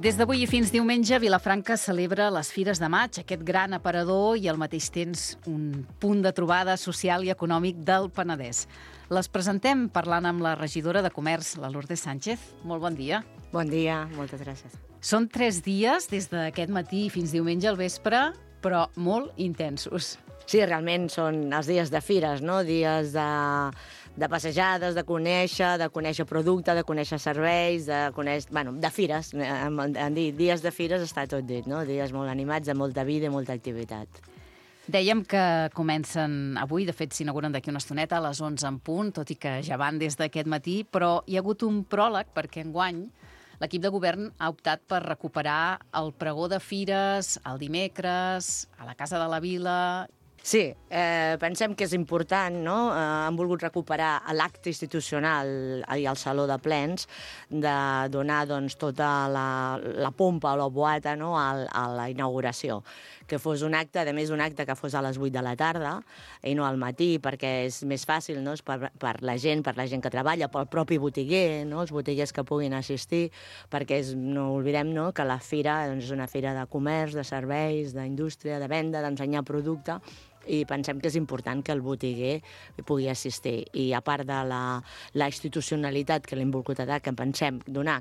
Des d'avui i fins diumenge, Vilafranca celebra les Fires de Maig, aquest gran aparador i al mateix temps un punt de trobada social i econòmic del Penedès. Les presentem parlant amb la regidora de Comerç, la Lourdes Sánchez. Molt bon dia. Bon dia, moltes gràcies. Són 3 dies, des d'aquest matí fins diumenge al vespre, però molt intensos. Sí, realment són els dies de fires, no? Dies de passejades, de conèixer producte, de conèixer serveis, de fires. En dir dies de fires està tot dit, no? Dies molt animats, de molta vida i molta activitat. Dèiem que comencen avui, de fet s'inauguren d'aquí una estoneta, a les 11 en punt, tot i que ja van des d'aquest matí, però hi ha hagut un pròleg perquè enguany l'equip de govern ha optat per recuperar el pregó de fires el dimecres, a la Casa de la Vila. Sí, pensem que és important, no? Han volgut recuperar l'acte institucional i el saló de plens, de donar tota la pompa o la boata, no? a la inauguració. Que fos un acte, a més un acte que fos a les 8 de la tarda i no al matí, perquè és més fàcil, no? per la gent que treballa, pel propi botiguer, no? Els botiguers que puguin assistir, perquè no oblidem, no? Que la fira és una fira de comerç, de serveis, d'indústria, de venda, d'ensenyar producte, i pensem que és important que el botiguer pugui assistir. I a part de la institucionalitat que l'hem volgut donar,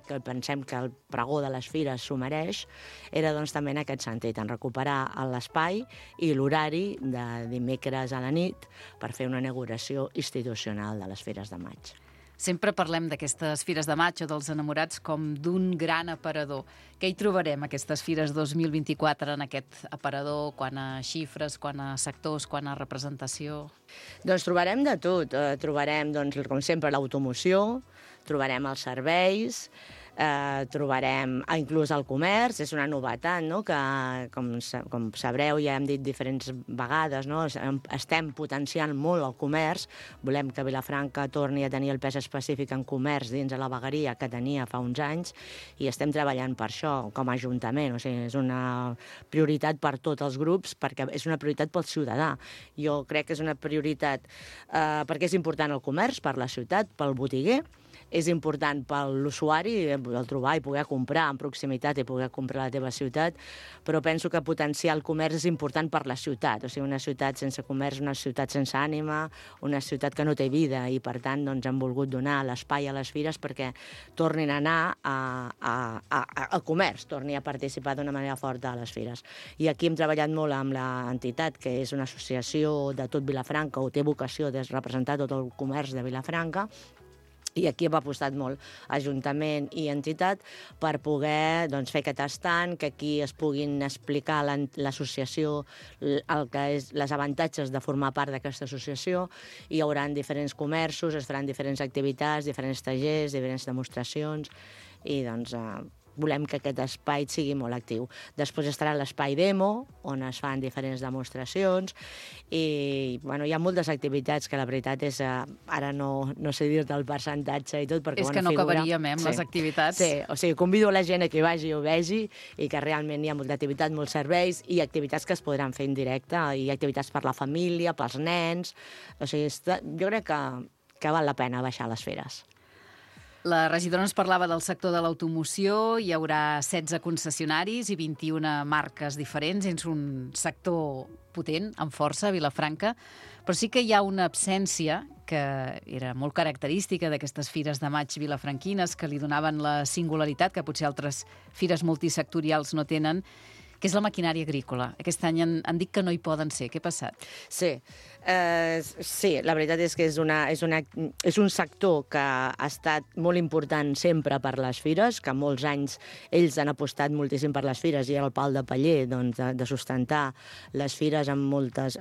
que pensem que el pregó de les fires s'ho mereix, era també en aquest sentit, en recuperar l'espai i l'horari de dimecres a la nit per fer una inauguració institucional de les Fires de Maig. Sempre parlem d'aquestes Fires de Maig o dels enamorats com d'un gran aparador. Què hi trobarem, aquestes Fires 2024, en aquest aparador, quant a xifres, quant a sectors, quant a representació? Doncs trobarem de tot. Trobarem, com sempre, l'automoció, trobarem els serveis, trobarem inclús el comerç, és una novetat, no? Que, com sabreu, ja hem dit diferents vegades, no? Estem potenciant molt el comerç, volem que Vilafranca torni a tenir el pes específic en comerç dins de la vegueria que tenia fa uns anys, i estem treballant per això, com a Ajuntament. O sigui, és una prioritat per tots els grups, perquè és una prioritat pel ciutadà. Jo crec que és una prioritat perquè és important el comerç per la ciutat, pel botiguer, és important per l'usuari el trobar i poder comprar en proximitat i poder comprar a la teva ciutat, però penso que potenciar el comerç és important per la ciutat. O sigui, una ciutat sense comerç, una ciutat sense ànima, una ciutat que no té vida, i per tant hem volgut donar l'espai a les fires perquè tornin a anar al comerç, torni a participar d'una manera forta a les fires. I aquí hem treballat molt amb l'entitat, que és una associació de tot Vilafranca, o té vocació de representar tot el comerç de Vilafranca, i aquí hem apostat molt, Ajuntament i entitat, per poder fer aquest estand, que aquí es puguin explicar l'associació, el que és les avantatges de formar part d'aquesta associació. Hi haurà diferents comerços, es faran diferents activitats, diferents tallers, diferents demostracions, i volem que aquest espai sigui molt actiu. Després estarà l'espai demo, on es fan diferents demostracions, i hi ha moltes activitats que la veritat és, ara no sé dir-te el percentatge i tot, perquè és que no acabaríem amb les activitats. Sí, o sigui, convido la gent a que vagi i ho vegi, i que realment hi ha molta activitat, molts serveis, i activitats que es podran fer en directe, i activitats per la família, pels nens. O sigui, jo crec que val la pena baixar a les fires. La regidora ens parlava del sector de l'automoció, hi haurà 16 concessionaris i 21 marques diferents, és un sector potent, amb força, a Vilafranca, però sí que hi ha una absència que era molt característica d'aquestes Fires de Maig vilafranquines, que li donaven la singularitat que potser altres fires multisectorials no tenen, que és la maquinària agrícola. Aquest any han dit que no hi poden ser. Què ha passat? Sí, la veritat és que és un sector que ha estat molt important sempre per les fires, que molts anys ells han apostat moltíssim per les fires, i era el pal de paller de sustentar les fires en moltes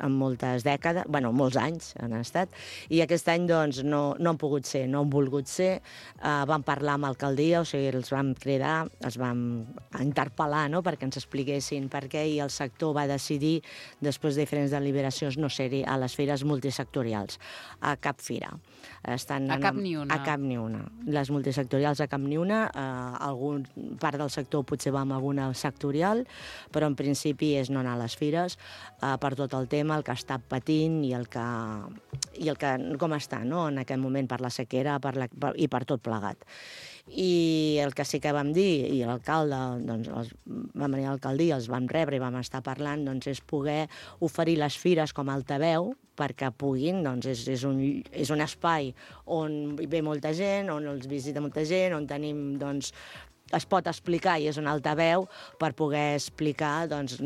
dècades, molts anys han estat, i aquest any no han pogut ser, no han volgut ser. Vam parlar amb l'alcaldia, o sigui, els vam cridar, els vam interpel·lar, no?, perquè ens expliquessin per què, i el sector va decidir, després de diferents deliberacions, no ser-hi a les fires multisectorials, a cap fira. estan... A cap ni una. A cap ni una. Les multisectorials a cap ni una. Algun part del sector potser va amb alguna sectorial, però en principi és no anar a les fires per tot el tema, el que està patint i el que com està, no?, en aquest moment per la sequera i per tot plegat. I el que sí que vam dir, i l'alcalde, doncs, vam venir a l'alcaldia, els vam rebre i vam estar parlant, doncs, és poder oferir les fires com a altaveu perquè puguin, doncs, és un espai on ve molta gent, on els visita molta gent, on tenim, doncs, es pot explicar i és un altaveu per poder explicar, doncs,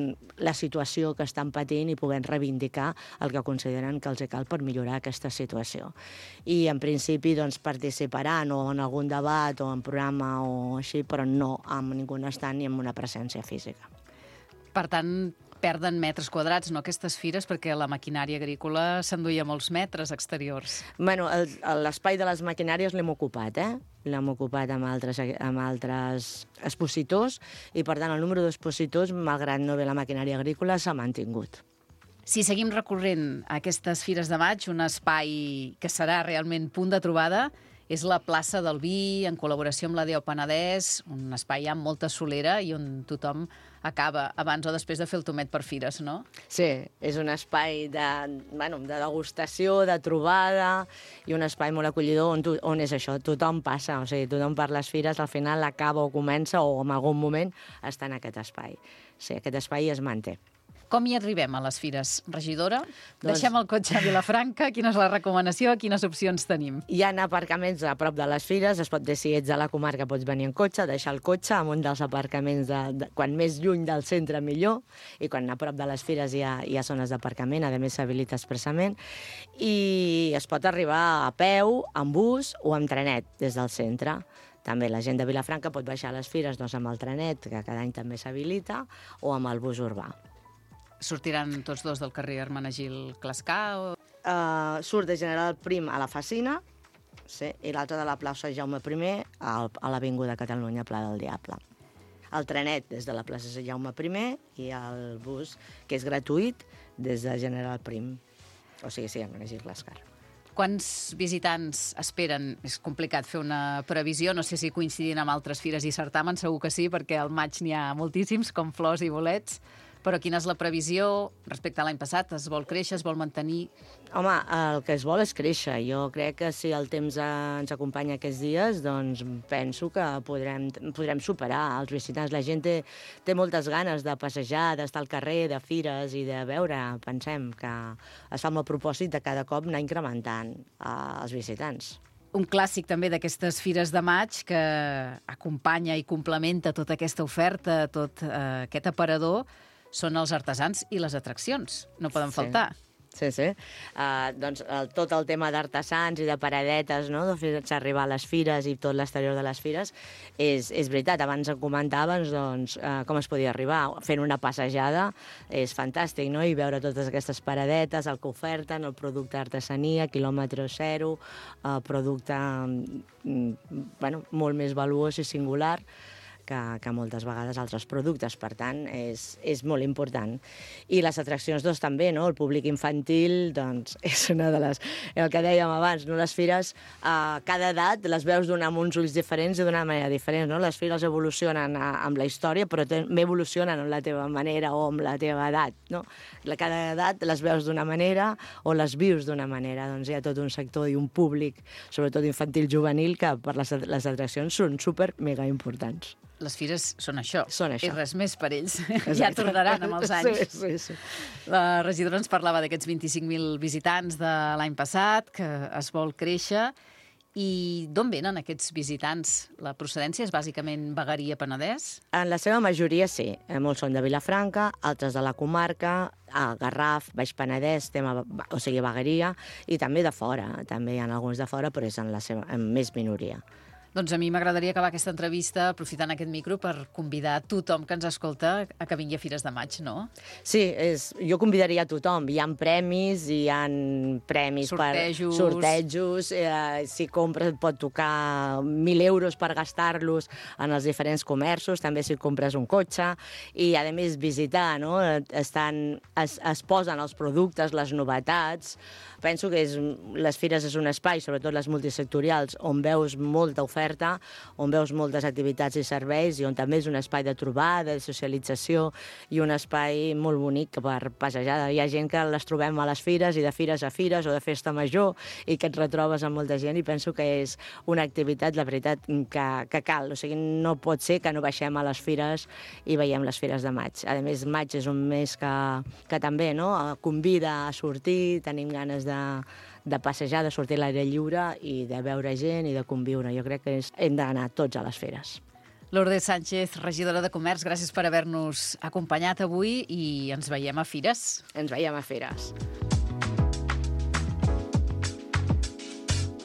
la situació que estan patint i poder reivindicar el que consideren que els cal per millorar aquesta situació. I en principi doncs, participaran o en algun debat o en programa o així, però no amb ningú estant ni amb una presència física. Per tant, perden metres quadrats, no, aquestes fires, perquè la maquinària agrícola s'enduia molts metres exteriors. Bueno, l'espai de les maquinàries l'hem ocupat, L'hem ocupat amb altres expositors i, per tant, el número d'expositors, malgrat no ve la maquinària agrícola, s'ha mantingut. Si seguim recorrent aquestes fires de maig, un espai que serà realment punt de trobada és la plaça del Vi, en col·laboració amb la Déu Penedès, un espai amb molta solera i on tothom acaba abans o després de fer el tomet per fires, no? Sí, és un espai de degustació, de trobada, i un espai molt acollidor on és això, tothom passa, o sigui, tothom per les fires al final acaba o comença o en algun moment està en aquest espai. Sí, aquest espai es manté. Com hi arribem a les fires, regidora? Deixem el cotxe a Vilafranca, quina és la recomanació, quines opcions tenim? Hi ha aparcaments a prop de les fires, si ets a la comarca pots venir en cotxe, deixar el cotxe en un dels aparcaments, quan més lluny del centre millor, i quan a prop de les fires hi ha zones d'aparcament, a més s'habilita expressament, i es pot arribar a peu, amb bus o amb trenet des del centre. També la gent de Vilafranca pot baixar a les fires amb el trenet, que cada any també s'habilita, o amb el bus urbà. Sortiran tots dos del carrer Hermenegil Clascar? Surt de General Prim a la Facina, sí, i l'altre de la plaça Jaume I a l'Avinguda Catalunya, Pla del Diable. El trenet des de la plaça Jaume I i el bus, que és gratuït, des de General Prim. O sigui, sí, Hermenegil Clascar. Quants visitants esperen? És complicat fer una previsió, no sé si coincidint amb altres fires i certàmens, segur que sí, perquè al maig n'hi ha moltíssims, com flors i bolets. Però quina és la previsió respecte a l'any passat? Es vol créixer, es vol mantenir? Home, el que es vol és créixer. Jo crec que si el temps ens acompanya aquests dies, doncs penso que podrem superar els visitants. La gent té moltes ganes de passejar, d'estar al carrer, de fires i de veure. Pensem que es fa amb el propòsit de cada cop anar incrementant els visitants. Un clàssic també d'aquestes fires de maig que acompanya i complementa tota aquesta oferta, tot aquest aparador, són els artesans i les atraccions. No poden faltar. Sí. Doncs tot el tema d'artesans i de paradetes, no?, de fer-se arribar a les fires i tot l'exterior de les fires, és veritat. Abans em comentaves com es podia arribar. Fent una passejada és fantàstic, no?, i veure totes aquestes paradetes, el que oferten, el producte d'artesania, quilòmetre zero, producte molt més valuós i singular que moltes vegades altres productes. Per tant, és molt important. I les atraccions, doncs, també, no? El públic infantil, doncs, és una de les... El que dèiem abans, no? Les fires, cada edat les veus amb uns ulls diferents i d'una manera diferent, no? Les fires evolucionen amb la història, però també evolucionen amb la teva manera o amb la teva edat, no? Cada edat les veus d'una manera o les vius d'una manera. Doncs hi ha tot un sector i un públic, sobretot infantil juvenil, que per les atraccions són super mega importants. Les fires són això. Són això. I res més per ells. Exacte. Ja tornaran amb els anys. Sí. La regidora ens parlava d'aquests 25.000 visitants de l'any passat, que es vol créixer. I d'on venen aquests visitants? La procedència és bàsicament Vegueria Penedès? En la seva majoria sí. Molts són de Vilafranca, altres de la comarca, Garraf, Baix Penedès, Vegueria, i també de fora. També hi ha alguns de fora, però és en més minoria. Doncs a mi m'agradaria acabar aquesta entrevista aprofitant aquest micro per convidar tothom que ens escolta a que vingui a Fires de Maig, no? Sí, jo convidaria a tothom. Hi ha premis, sortejos. Per sortejos. Si compres et pot tocar 1.000 euros per gastar-los en els diferents comerços, també si compres un cotxe. I, a més, visitar, no? Es posen els productes, les novetats, penso que les fires és un espai, sobretot les multisectorials, on veus molta oferta, on veus moltes activitats i serveis i on també és un espai de trobada, de socialització i un espai molt bonic per passejar. Hi ha gent que les trobem a les fires i de fires a fires o de festa major i que et retrobes amb molta gent i penso que és una activitat, la veritat, que cal. O sigui, no pot ser que no baixem a les fires i veiem les fires de maig. A més, maig és un mes que també convida a sortir, tenim ganes de passejar, de sortir a l'aire lliure i de veure gent i de conviure. Jo crec que hem d'anar tots a les fires. Lourdes Sánchez, regidora de Comerç, gràcies per haver-nos acompanyat avui i ens veiem a fires. Ens veiem a fires.